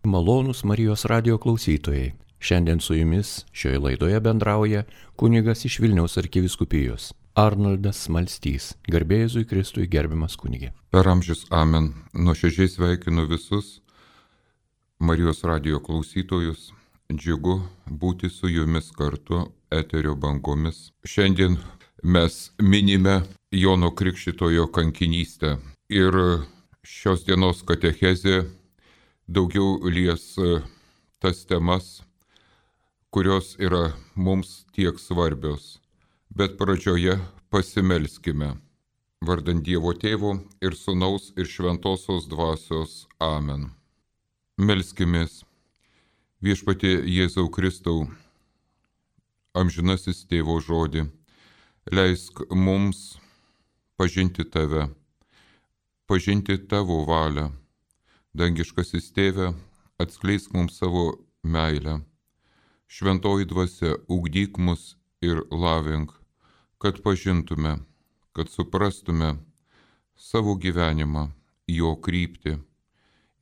Malonūs Marijos radijo klausytojai. Šiandien su jumis šioje laidoje bendrauja kunigas iš Vilniaus arkivyskupijos Arnoldas Smalstys. Garbė Jėzui Kristui, gerbiamas kunige. Per amžius amen. Nuoširdžiai sveikinu visus Marijos radijo klausytojus. Džiugu būti su jumis kartu eterio bangomis. Šiandien mes minime Jono Krikštytojo kankinystę. Ir šios dienos katechezė daugiau lies tas temas, kurios yra mums tiek svarbios. Bet pradžioje pasimelskime. Vardant Dievo Tėvo ir Sūnaus ir Šventosios Dvasios. Amen. Melskimės. Viešpatie Jėzau Kristau, amžinasis Tėvo žodį, leisk mums pažinti Tave, pažinti Tavo valią. Dangiškasis Tėve, atskleisk mums savo meilę. Šventoji Dvasia, ugdyk mus ir lavink, kad pažintume, kad suprastume savo gyvenimą, jo kryptį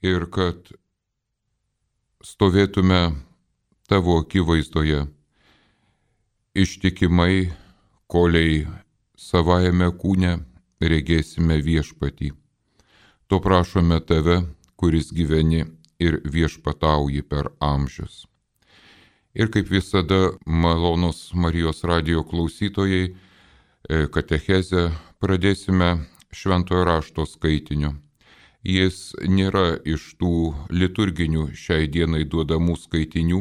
ir kad stovėtume Tavo akivaizdoje ištikimai, kolei savajame kūne regėsime viešpatį. To prašome Tave, kuris gyveni ir viešpatauji per amžius. Ir kaip visada, malonūs Marijos radijo klausytojai, katechezę pradėsime Šventojo rašto skaitiniu. Jis nėra iš tų liturginių šiai dienai duodamų skaitinių,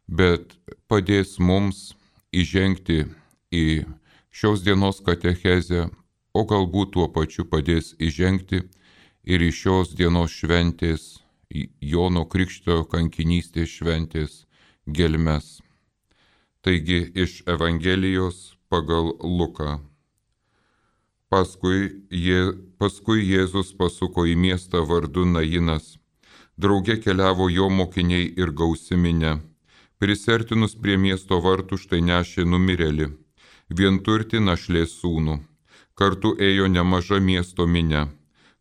bet padės mums įžengti į šios dienos katechezę, o galbūt tuo pačiu padės įžengti ir iš šios dienos šventės, Jono Krikštytojo kankinystės šventės gelmes. Taigi iš Evangelijos pagal Luką. Paskui Jėzus pasuko į miestą vardu Nainas. Drauge keliavo jo mokiniai ir gausi minia. Prisertinus prie miesto vartų štai nešė numirėlį, vienturtį našlės sūnų. Kartu ėjo nemaža miesto minia.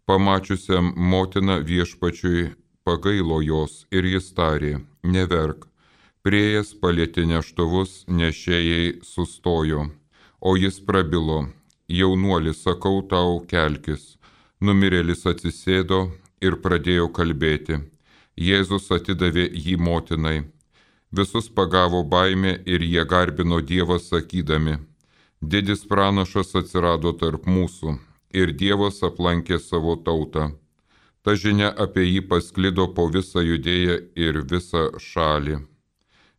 Pamačiusiam motiną viešpačiui pagailo jos ir jis tarė, neverk. Priėjęs palietė neštuvus, nešėjai sustojo, o jis prabilo, jaunuolis, sakau tau, kelkis. Numirėlis atsisėdo ir pradėjo kalbėti. Jėzus atidavė jį motinai. Visus pagavo baimė ir jie garbino Dievą sakydami, didis pranašas atsirado tarp mūsų. Ir Dievas aplankė savo tautą. Ta žinia apie jį pasklido po visą Judėją ir visą šalį.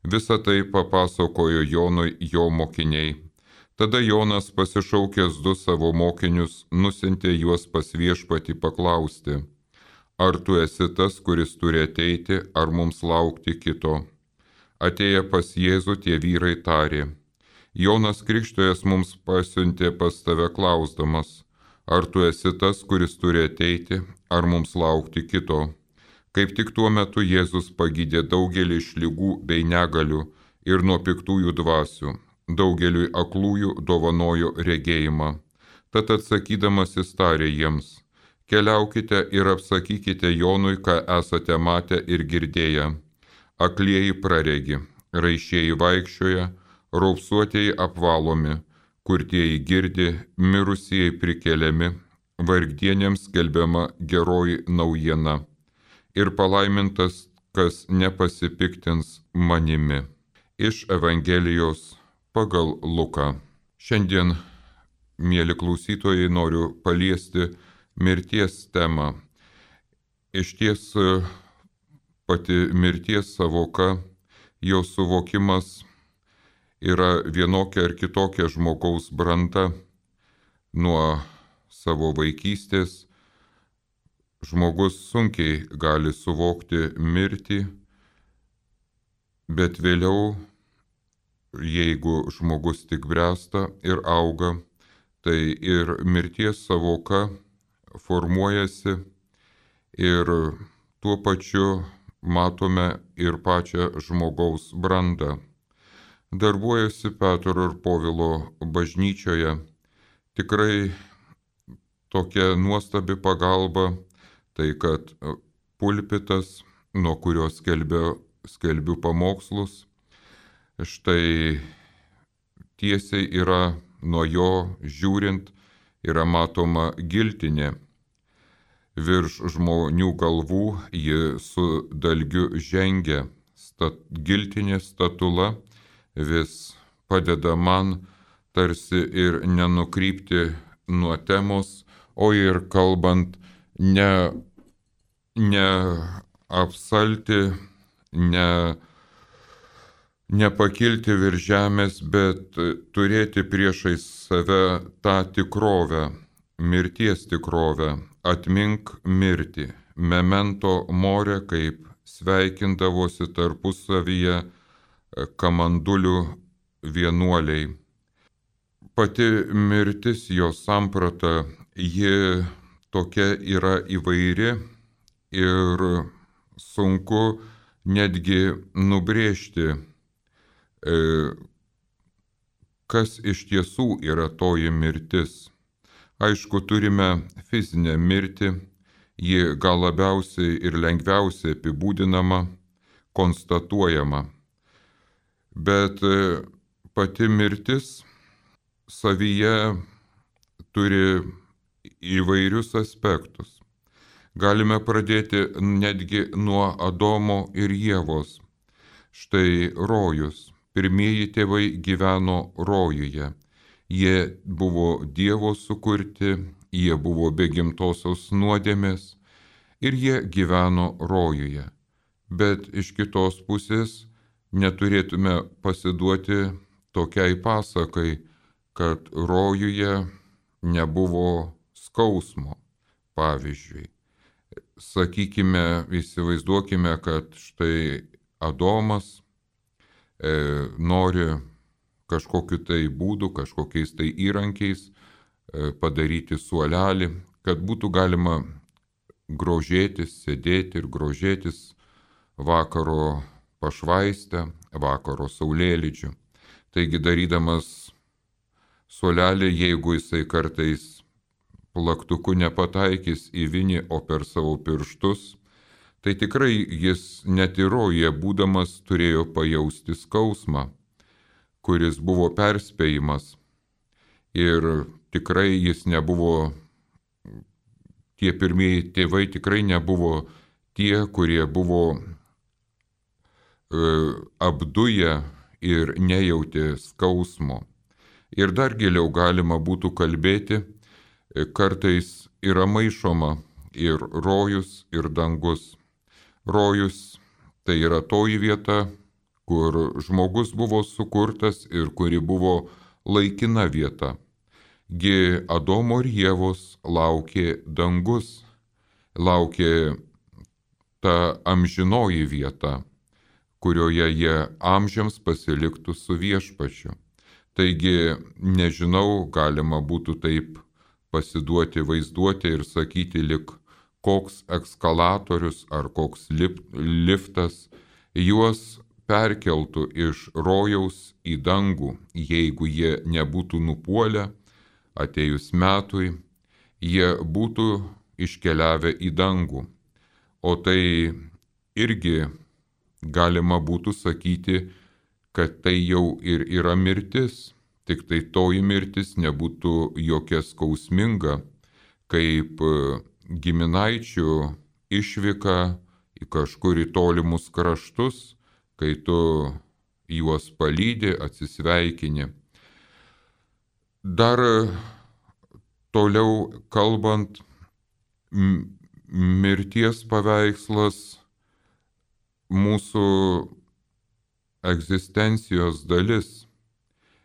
Visą tai papasakojo Jonui jo mokiniai. Tada Jonas, pasišaukęs 2 savo mokinius, nusiuntė juos pas viešpatį paklausti, ar tu esi tas, kuris turi ateiti, ar mums laukti kito. Atėję pas Jėzų tie vyrai tarė, Jonas Krikštytojas mums pasiuntė pas tave klausdamas, ar tu esi tas, kuris turi ateiti, ar mums laukti kito? Kaip tik tuo metu Jėzus pagydė daugelį iš ligų bei negalių ir nuo piktųjų dvasių. Daugeliui aklųjų dovanojo regėjimą. Tad atsakydamas jis tarė jiems, keliaukite ir apsakykite Jonui, ką esate matę ir girdėję. Aklieji praregi, raišieji vaikščioja, raupsuotieji apvalomi, kurtieji girdi, mirusieji prikeliami, vargdienėms skelbiama geroji naujiena. Ir palaimintas, kas nepasipiktins manimi. Iš Evangelijos pagal Luką. Šiandien, mieli klausytojai, noriu paliesti mirties temą. Išties pati mirties savoka, jo suvokimas yra vienokia ar kitokia žmogaus branda. Nuo savo vaikystės žmogus sunkiai gali suvokti mirtį, bet vėliau, jeigu žmogus tik bręsta ir auga, tai ir mirties savoka formuojasi ir tuo pačiu matome ir pačią žmogaus brandą. Darbuojasi Petro ir Povilo bažnyčioje. Tikrai tokia nuostabi pagalba, tai kad pulpitas nuo kurio skelbiu pamokslus. Štai tiesiai yra nuo jo žiūrint yra matoma giltinė. Virš žmonių galvų ji su dalgiu žengia. Giltinė statula vis padeda man tarsi ir nenukrypti nuo temos, o ir kalbant ne apsalti, nepakilti virš žemės, bet turėti priešais save tą tikrovę, mirties tikrovę, atmink mirtį, memento more, kaip sveikindavosi tarpusavyje kamandulių vienuoliai. Pati mirtis, jos samprata, ji tokia yra įvairi ir sunku netgi nubrėžti, kas iš tiesų yra toji mirtis. Aišku, turime fizinę mirtį, ji gal labiausiai ir lengviausiai apibūdinama, konstatuojama. Bet pati mirtis savyje turi įvairius aspektus. Galime pradėti netgi nuo Adomo ir Ievos. Štai rojus. Pirmieji tėvai gyveno rojuje. Jie buvo Dievo sukurti, jie buvo be gimtosios nuodėmės ir jie gyveno rojuje. Bet iš kitos pusės neturėtume pasiduoti tokiai pasakai, kad rojuje nebuvo skausmo. Pavyzdžiui, sakykime, įsivaizduokime, kad štai Adomas nori kažkokiu tai būdu, kažkokiais tai įrankiais padaryti suolelį, kad būtų galima grožėtis, sėdėti ir grožėtis vakaro pašvaistę, vakaro saulėlydžiu. Taigi darydamas suolelį, jeigu jisai kartais plaktuku nepataikys į vinį, o per savo pirštus, tai tikrai jis net ir rojuje būdamas turėjo pajausti skausmą, kuris buvo perspėjimas. Ir tikrai jis nebuvo, tie pirmieji tėvai tikrai nebuvo tie, kurie buvo apduję ir nejautė skausmo. Ir dar giliau galima būtų kalbėti, kartais yra maišoma ir rojus, ir dangus. Rojus tai yra toji vieta, kur žmogus buvo sukurtas ir kuri buvo laikina vieta. Gi Adomo ir Ievos laukė dangus, laukė ta amžinoji vieta, kurioje jie amžiams pasiliktų su viešpačiu. Taigi, nežinau, galima būtų taip pasiduoti vaizduoti ir sakyti, lik koks ekskalatorius ar koks liftas juos perkeltų iš rojaus į dangų, jeigu jie nebūtų nupuolę, atėjus metui, jie būtų iškeliavę į dangų. O tai irgi galima būtų sakyti, kad tai jau ir yra mirtis, tik tai toji mirtis nebūtų jokia skausminga, kaip giminaičių išvyka į kažkur į tolimus kraštus, kai tu juos palydi, atsisveikini. Dar toliau kalbant, mirties paveikslas mūsų egzistencijos dalis.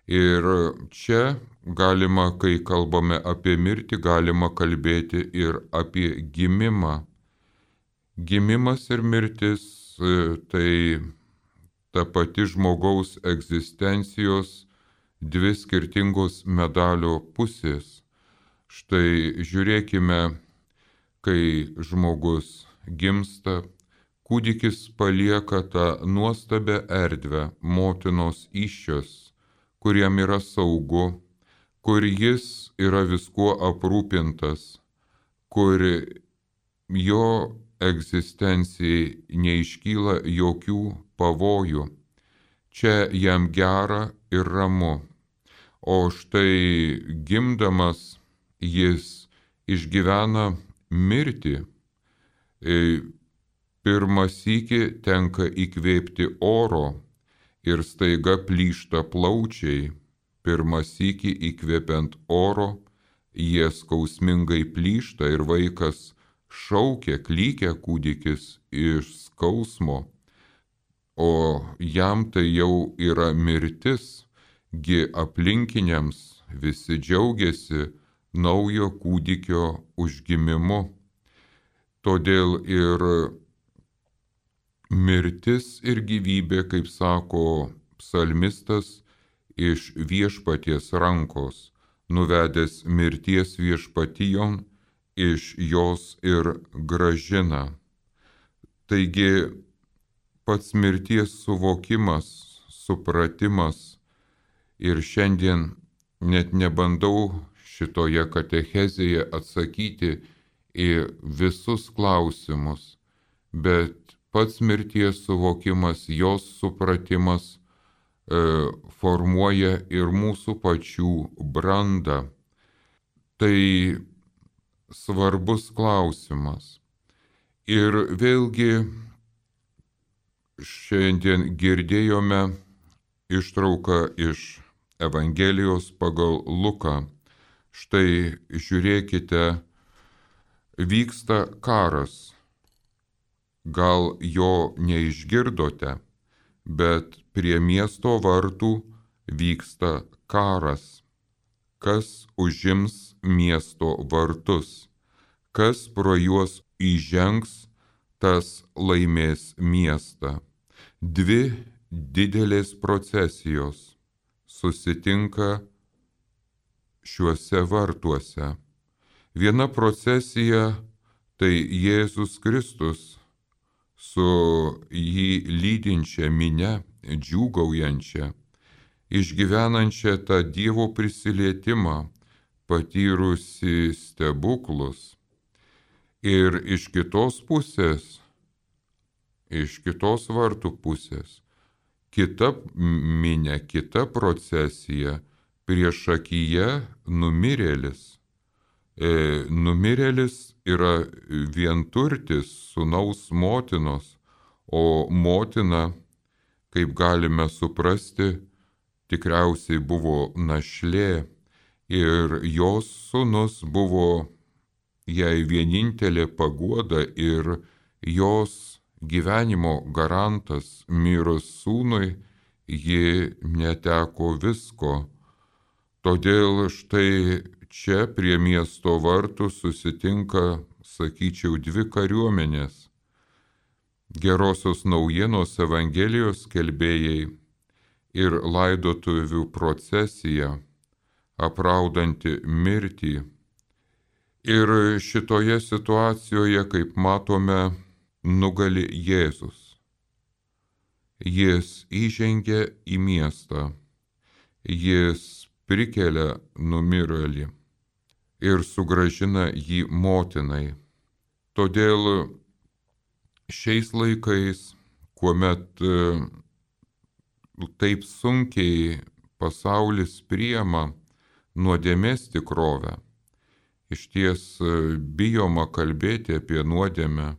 Ir čia galima, kai kalbame apie mirtį, galima kalbėti ir apie gimimą. Gimimas ir mirtis tai ta pati žmogaus egzistencijos dvi skirtingos medalio pusės. Štai žiūrėkime, kai žmogus gimsta, kūdikis palieka tą nuostabią erdvę motinos įsčios, kur jam yra saugu, kur jis yra viskuo aprūpintas, kur jo egzistencijai neiškyla jokių pavojų. Čia jam gera ir ramu. O štai gimdamas jis išgyvena mirtį. Pirmą sykį tenka įkvėpti oro ir staiga plyšta plaučiai. Pirmą sykį įkvėpiant oro, jie skausmingai plyšta ir vaikas šaukia, klykia kūdikis iš skausmo, o jam tai jau yra mirtis, gi aplinkiniams visi džiaugiasi naujo kūdikio užgimimu. Todėl ir mirtis ir gyvybė, kaip sako psalmistas, iš viešpaties rankos, nuvedęs mirties viešpatijon, iš jos ir gražina. Taigi pats mirties suvokimas, supratimas, ir šiandien net nebandau šitoje katechezėje atsakyti į visus klausimus, bet pats mirties suvokimas, jos supratimas formuoja ir mūsų pačių brandą. Tai svarbus klausimas. Ir vėlgi šiandien girdėjome ištrauką iš Evangelijos pagal Luką. Štai žiūrėkite, vyksta karas. Gal jo neišgirdote, bet prie miesto vartų vyksta karas. Kas užims miesto vartus, kas pro juos įžengs, tas laimės miestą. Dvi didelės procesijos susitinka šiuose vartuose. Viena procesija tai Jėzus Kristus su jį lydinčia minia, džiūgaujančia, išgyvenančia tą Dievo prisilietimą, patyrusi stebuklus. Ir iš kitos pusės, iš kitos vartų pusės, kita minia, kita procesija, priešakyje numirėlis. Numirėlis yra vienturtis sūnaus motinos, o motina, kaip galime suprasti, tikriausiai buvo našlė ir jos sūnus buvo jai vienintelė paguoda ir jos gyvenimo garantas. Mirus sūnui ji neteko visko. Todėl štai čia prie miesto vartų susitinka, sakyčiau, dvi kariuomenės. Gerosios naujienos Evangelijos skelbėjai ir laidotuvių procesija, apraudanti mirtį. Ir šitoje situacijoje, kaip matome, nugali Jėzus. Jis įžengia į miestą, jis prikelia numirėlį ir sugrąžina jį motinai. Todėl šiais laikais, kuomet taip sunkiai pasaulis priima nuodėmės tikrovę, išties bijoma kalbėti apie nuodėmę,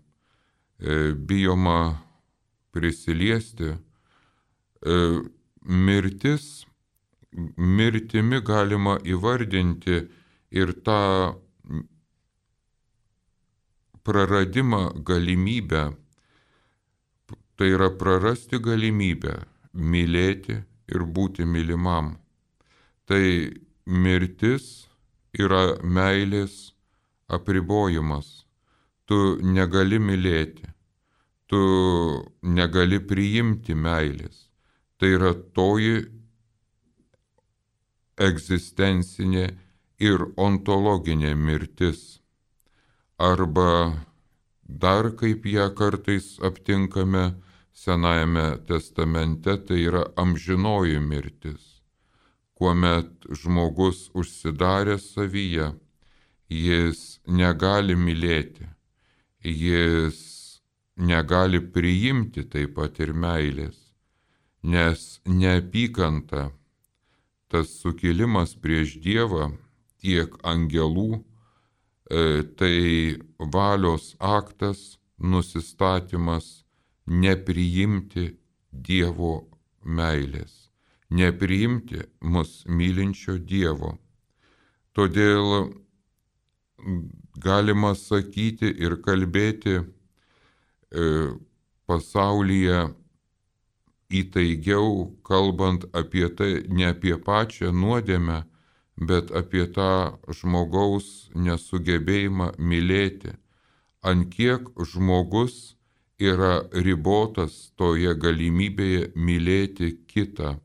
bijoma prisiliesti. Mirtimi galima įvardinti ir tą praradimą galimybę, tai yra prarasti galimybę mylėti ir būti mylimam. Tai mirtis yra meilės apribojimas. Tu negali mylėti, tu negali priimti meilės. Tai yra toji egzistencinė ir ontologinė mirtis. Arba dar kaip ją kartais aptinkame Senajame testamente, tai yra amžinoji mirtis, kuomet žmogus užsidaręs savyje, jis negali mylėti jis negali priimti taip pat ir meilės, nes neapykanta, tas sukilimas prieš Dievą, tiek angelų, tai valios aktas, nusistatymas nepriimti Dievo meilės, nepriimti mus mylinčio Dievo. Todėl galima sakyti ir kalbėti pasaulyje įtaigiau, kalbant apie tai, ne apie pačią nuodėmę, bet apie tą žmogaus nesugebėjimą mylėti. Ant kiek žmogus yra ribotas toje galimybėje mylėti kitą.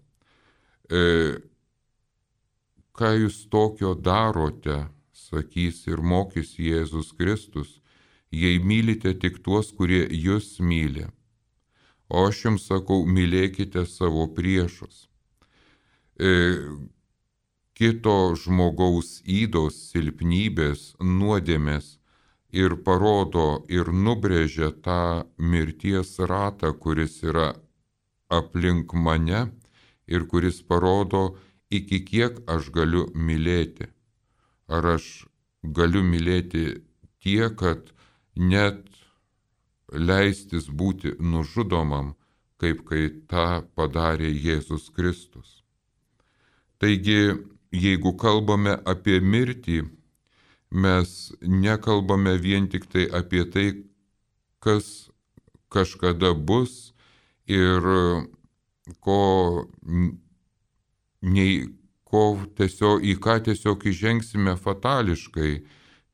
Ką jūs tokio darote, sakys ir mokys Jėzus Kristus, jei mylite tik tuos, kurie jūs myli. O aš jums sakau, mylėkite savo priešus. Kito žmogaus ydos, silpnybės, nuodėmės ir parodo ir nubrėžia tą mirties ratą, kuris yra aplink mane ir kuris parodo, iki kiek aš galiu mylėti. Ar aš galiu mylėti tiek, kad net leistis būti nužudomam, kaip kai tą padarė Jėzus Kristus. Taigi, jeigu kalbame apie mirtį, mes nekalbame vien tik tai apie tai, kas kažkada bus ir į ką tiesiog įžengsime fatališkai.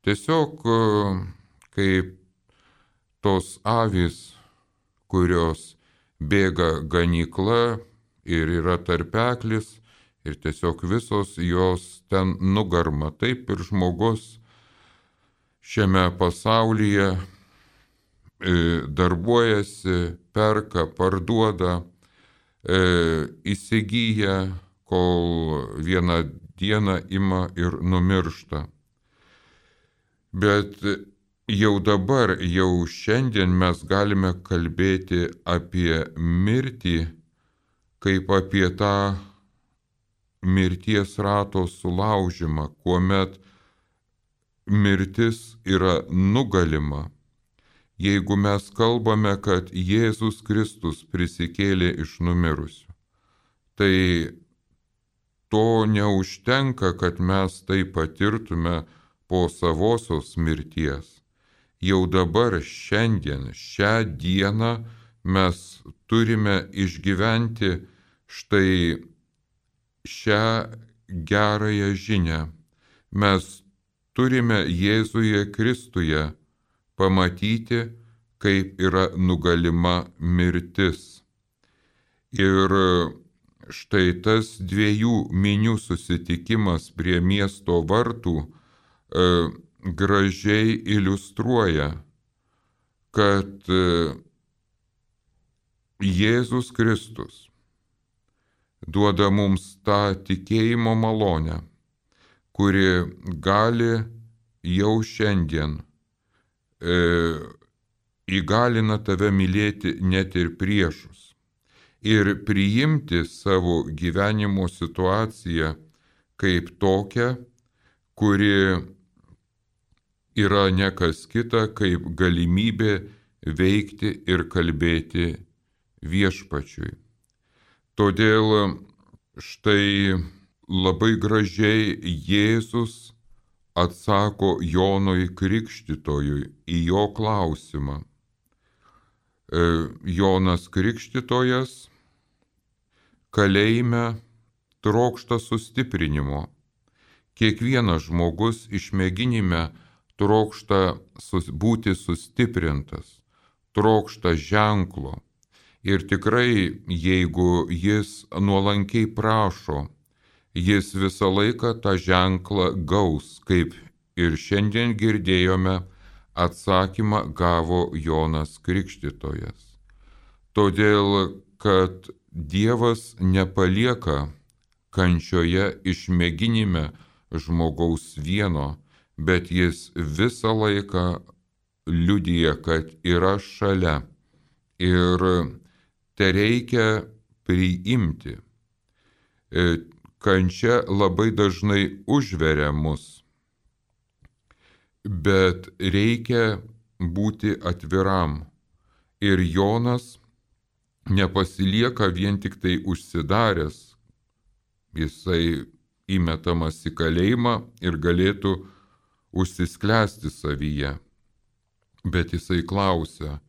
Tiesiog kaip tos avys, kurios bėga ganykla ir yra tarpeklis ir tiesiog visos jos ten nugarma. Taip ir žmogus šiame pasaulyje darbuojasi, perka, parduoda, įsigyja, kol vieną dieną ima ir numiršta. Bet jau dabar, jau šiandien mes galime kalbėti apie mirtį, kaip apie tą mirties rato sulaužimą, kuomet mirtis yra nugalima. Jeigu mes kalbame, kad Jėzus Kristus prisikėlė iš numirusių, tai to neužtenka, kad mes tai patirtume po savosios mirties. Jau dabar, šiandien, šią dieną mes turime išgyventi štai šią gerąją žinią. Mes turime Jėzuje Kristuje pamatyti, kaip yra nugalima mirtis. Ir štai tas dviejų minių susitikimas prie miesto vartų gražiai iliustruoja, kad Jėzus Kristus duoda mums tą tikėjimo malonę, kuri gali jau šiandien įgalina tave mylėti net ir priešus ir priimti savo gyvenimo situaciją kaip tokią, kuri yra ne kas kita, kaip galimybė veikti ir kalbėti viešpačiui. Todėl štai labai gražiai Jėzus atsako Jonui Krikštytojui į jo klausimą. Jonas Krikštytojas kalėjime trokšta sustiprinimo. Kiekvienas žmogus išmėginime trokšta būti sustiprintas, trokšta ženklo. Ir tikrai, jeigu jis nuolankiai prašo, jis visą laiką tą ženklą gaus, kaip ir šiandien girdėjome, atsakymą gavo Jonas Krikštytojas. Todėl, kad Dievas nepalieka kančioje išmėginime žmogaus vieno, bet jis visą laiką liudyja, kad yra šalia ir tereikia priimti. Kančia labai dažnai užveria mus, bet reikia būti atviram. Ir Jonas nepasilieka vien tik tai užsidaręs, jisai įmetamas į kalėjimą ir galėtų užsisklęsti savyje. Bet jisai klausia,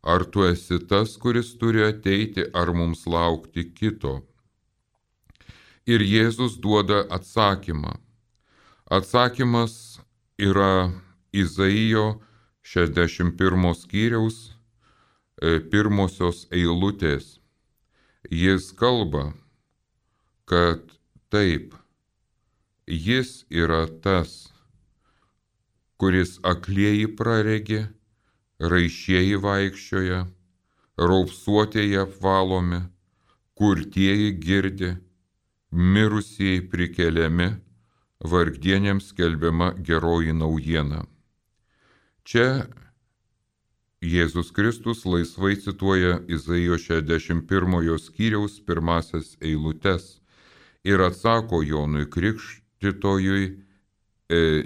ar tu esi tas, kuris turi ateiti, ar mums laukti kito? Ir Jėzus duoda atsakymą. Atsakymas yra Izaijo 61 skyriaus pirmosios eilutės. Jis kalba, kad taip, jis yra tas, kuris aklieji praregi, raišieji vaikščioja, raupsuotieji apvalomi, kurtieji girdi, mirusieji prikeliami, vargdienėms skelbiama geroji naujiena. Čia Jėzus Kristus laisvai cituoja Izaijo 61 skyriaus pirmasias eilutes ir atsako Jonui Krikštytojui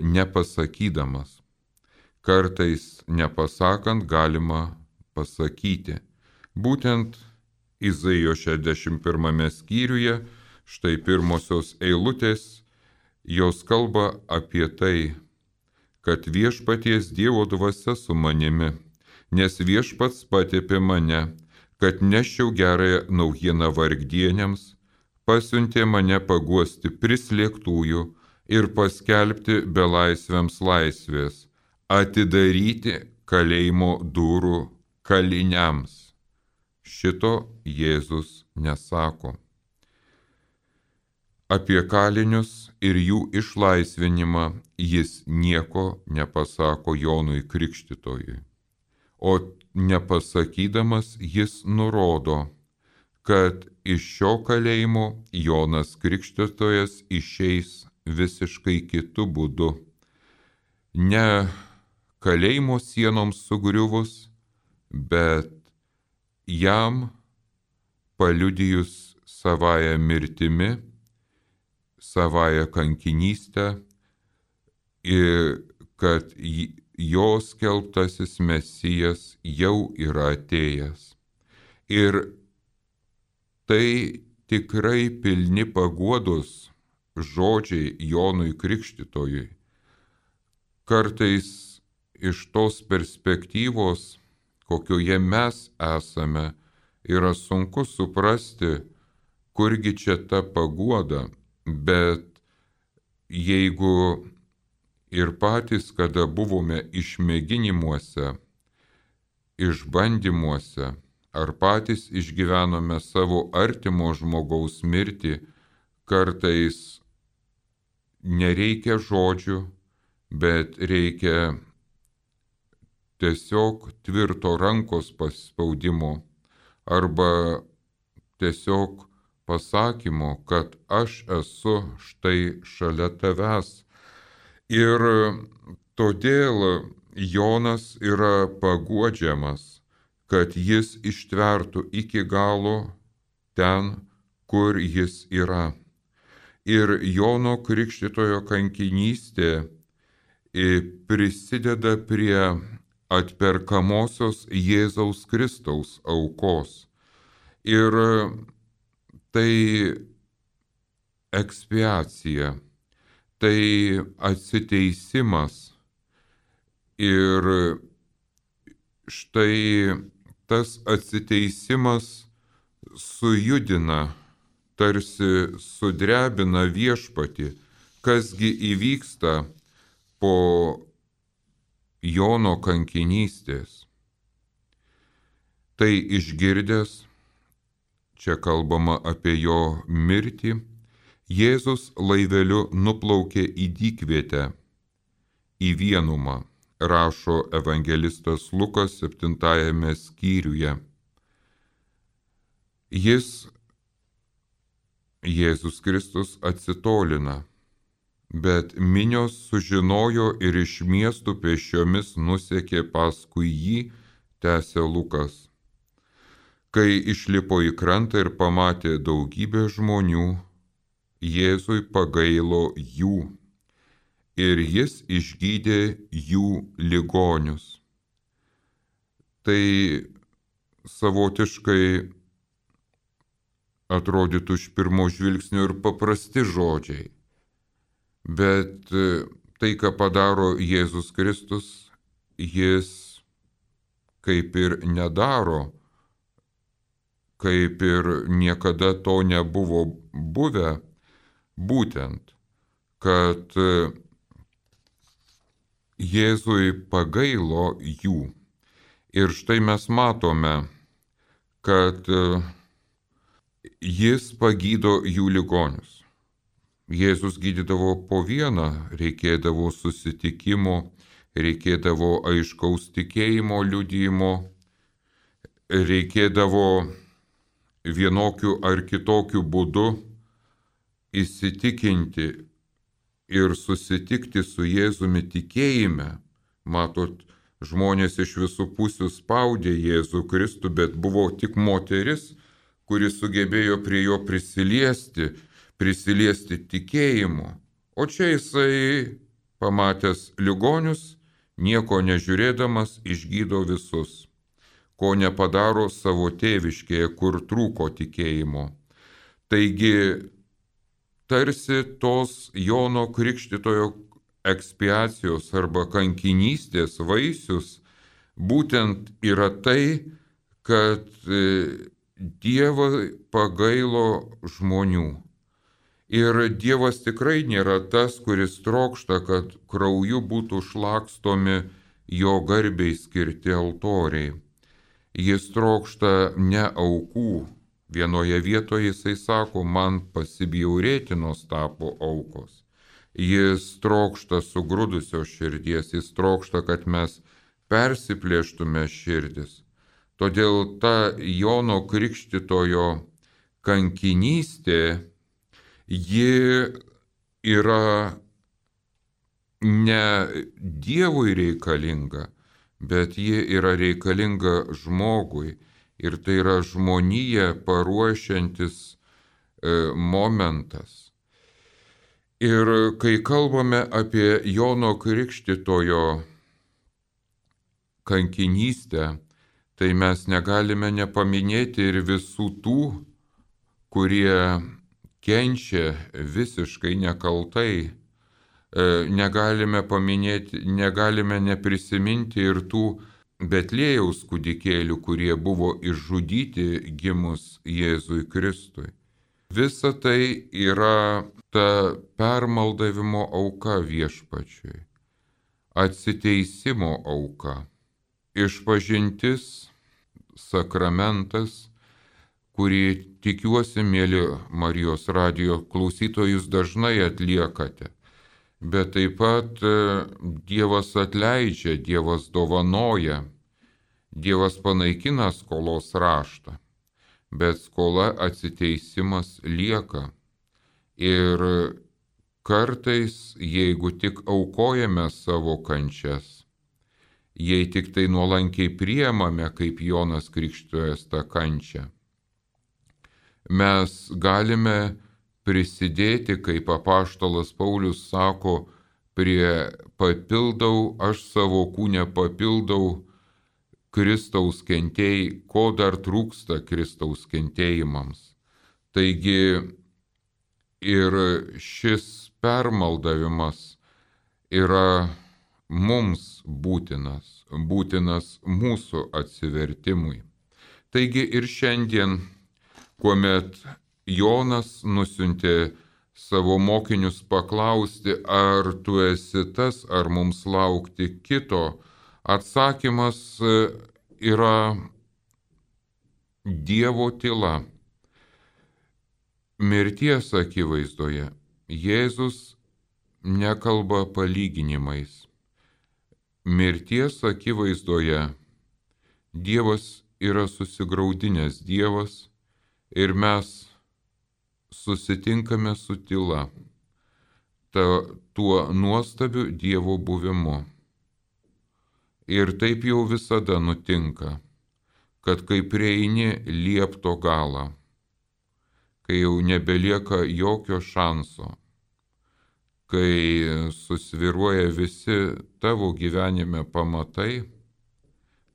nepasakydamas. Kartais nepasakant galima pasakyti. Būtent Izaijo 61 skyriuje, štai pirmosios eilutės, jos kalba apie tai, kad viešpaties Dievo dvasia su manimi, nes viešpats patepė mane, kad neščiau gerąją naujieną vargdienėms, pasiuntė mane paguosti prislėgtųjų ir paskelbti belaisviams laisvės, atidaryti kalėjimo durų kaliniams. Šito Jėzus nesako. Apie kalinius ir jų išlaisvinimą jis nieko nepasako Jonui Krikštytojui. O nepasakydamas jis nurodo, kad iš šio kalėjimo Jonas Krikštytojas išeis visiškai kitu būdu. Ne kalėjimo sienoms sugriuvus, bet jam paliudijus savąją mirtimi, savąją kankinystę ir kad jo skelbtasis Mesijas jau yra atėjęs. Ir tai tikrai pilni paguodos žodžiai Jonui Krikštytojui. Kartais iš tos perspektyvos, kokioje mes esame, yra sunku suprasti, kurgi čia ta paguoda, bet jeigu ir patys, kada buvome išmėginimuose, išbandymuose, ar patys išgyvenome savo artimo žmogaus mirtį, kartais nereikia žodžių, bet reikia tiesiog tvirto rankos paspaudimo arba tiesiog pasakymo, kad aš esu štai šalia tavęs. Ir todėl Jonas yra paguodžiamas, kad jis ištvertų iki galo ten, kur jis yra. Ir Jono Krikštytojo kankinystė prisideda prie atperkamosios Jėzaus Kristaus aukos. Ir tai ekspiacija, tai atsiteisimas. Ir štai tas atsiteisimas sujudina, tarsi sudrebina viešpatį, kasgi įvyksta po Jono kankinystės. Tai išgirdęs, čia kalbama apie jo mirtį, Jėzus laiveliu nuplaukė į dykvietę, į vienumą, rašo evangelistas Lukas 7 skyriuje. Jėzus Kristus atsitolina bet minios sužinojo ir iš miestų pėsčiomis nusekė paskui jį, tęsė Lukas. Kai išlipo į krantą ir pamatė daugybę žmonių, Jėzui pagailo jų ir jis išgydė jų ligonius. Tai savotiškai atrodytų iš pirmo žvilgsnio ir paprasti žodžiai, bet tai, ką padaro Jėzus Kristus, jis kaip ir nedaro, kaip ir niekada to nebuvo buvę, būtent, kad Jėzui pagailo jų. Ir štai mes matome, kad jis pagydo jų ligonius. Jėzus gydydavo po vieną, reikėdavo susitikimo, reikėdavo aiškaus tikėjimo liudijimo, reikėdavo vienokiu ar kitokiu būdu įsitikinti ir susitikti su Jėzumi tikėjime. Matot, žmonės iš visų pusių spaudė Jėzų Kristų, bet buvo tik moteris, kuri sugebėjo prie jo prisiliesti tikėjimu. O čia jisai, pamatęs ligonius, nieko nežiūrėdamas, išgydo visus, ko nepadaro savo tėviškėje, kur trūko tikėjimo. Taigi, tarsi tos Jono Krikštytojo ekspiacijos arba kankinystės vaisius būtent yra tai, kad Dievas pagailo žmonių. Ir Dievas tikrai nėra tas, kuris trokšta, kad krauju būtų šlakstomi jo garbei skirti altoriai. Jis trokšta ne aukų. Vienoje vietoje jisai sako, man pasibjaurėtinos tapo aukos. Jis trokšta sugrudusios širdies, jis trokšta, kad mes persiplėštume širdis. Todėl ta Jono Krikštytojo kankinystė, ji yra ne Dievui reikalinga, bet ji yra reikalinga žmogui. Ir tai yra žmoniją paruošiantis momentas. Ir kai kalbame apie Jono Krikštytojo kankinystę, tai mes negalime nepaminėti ir visų tų, kurie kenčia visiškai nekaltai. Negalime paminėti, negalime neprisiminti ir tų Betliejaus kūdikėlių, kurie buvo išžudyti gimus Jėzui Kristui. Visa tai yra ta permaldavimo auka viešpačiui, atsiteisimo auka, išpažintis, sakramentas, kurį tikiuosi, mėly Marijos radijo klausytojus, dažnai atliekate. Bet taip pat Dievas atleidžia, Dievas dovanoja, Dievas panaikina skolos raštą, bet skola atsiteisimas lieka. Ir kartais, jeigu tik aukojame savo kančias, jei tik tai nuolankiai priemame, kaip Jonas Krikštytojas tą kančią, mes galime prisidėti, kaip apaštalas Paulius sako, aš savo kūne papildau Kristaus kentėjai, ko dar trūksta Kristaus kentėjimams. Taigi ir šis permaldavimas yra mums būtinas mūsų atsivertimui. Taigi ir šiandien, kuomet Jonas nusiuntė savo mokinius paklausti, ar tu esi tas, ar mums laukti kito, atsakymas yra Dievo tyla. Mirties akivaizdoje Jėzus nekalba palyginimais. Mirties akivaizdoje Dievas yra susigraudinęs Dievas ir mes susitinkame su tyla. tuo nuostabiu Dievo buvimu. Ir taip jau visada nutinka, kad kai prieini liepto galą, kai jau nebelieka jokio šanso, kai susviruoja visi tavo gyvenime pamatai,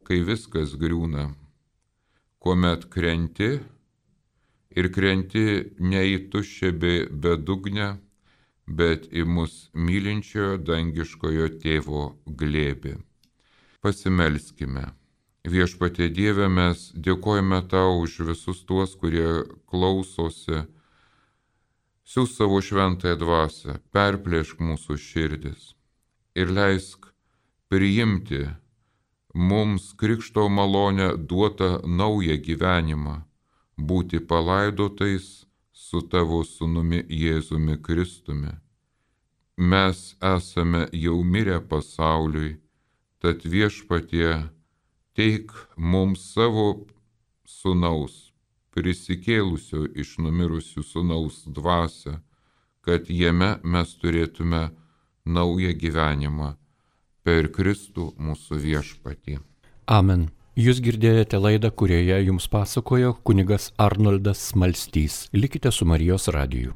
kai viskas griūna, kuomet krenti ir krenti ne į tuščią bedugnę, bet į mus mylinčiojo dangiškojo tėvo glėbį. Pasimelskime. Viešpatie Dieve, mes dėkojame tau už visus tuos, kurie klausosi. Siųsk savo šventąją dvasią, perplėšk mūsų širdis ir leisk priimti mums krikšto malonę duotą naują gyvenimą, būti palaidotais su tavo sūnumi Jėzumi Kristumi. Mes esame jau mirę pasauliui, tad Viešpatie teik mums savo sūnaus, prisikėlusio iš numirusių sūnaus dvasią, kad jame mes turėtume naują gyvenimą per Kristų mūsų Viešpatį. Amen. Jūs girdėjote laidą, kurioje jums pasakojo kunigas Arnoldas Smalstys. Likite su Marijos radiju.